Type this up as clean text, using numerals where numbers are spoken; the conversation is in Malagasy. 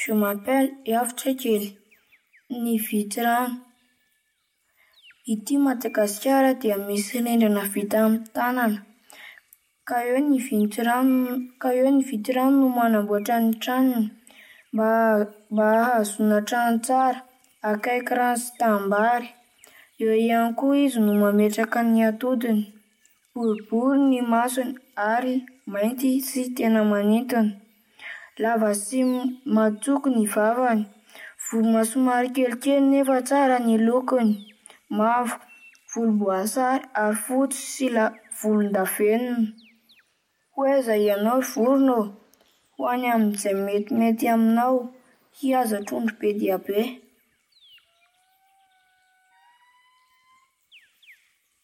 Je m'appelle Iavotrakely. Ny vitsirano. Ity Madagasikara dia misy rindrina vita amin'ny tanana. Ka eo ny vitsirano ka eo ny vitsirano no manamboatra ny tranony mba mba hahazoana trano tsara, akaiky rano sy tanimbary. Eo ihany koa izy no mametraka ny atodiny. Boribory ny masony ary mainty sy tena manintona. Lava sy matsoko ny vavany. Vorona somary kelikely nefa tsara ny lokony. Mavo, volomboasary ary fotsy sy la- volondavenona. Ho aiza ianao ry vorona ô? Ho any amin'izay metimety aminao, hihaza trondro be dia be.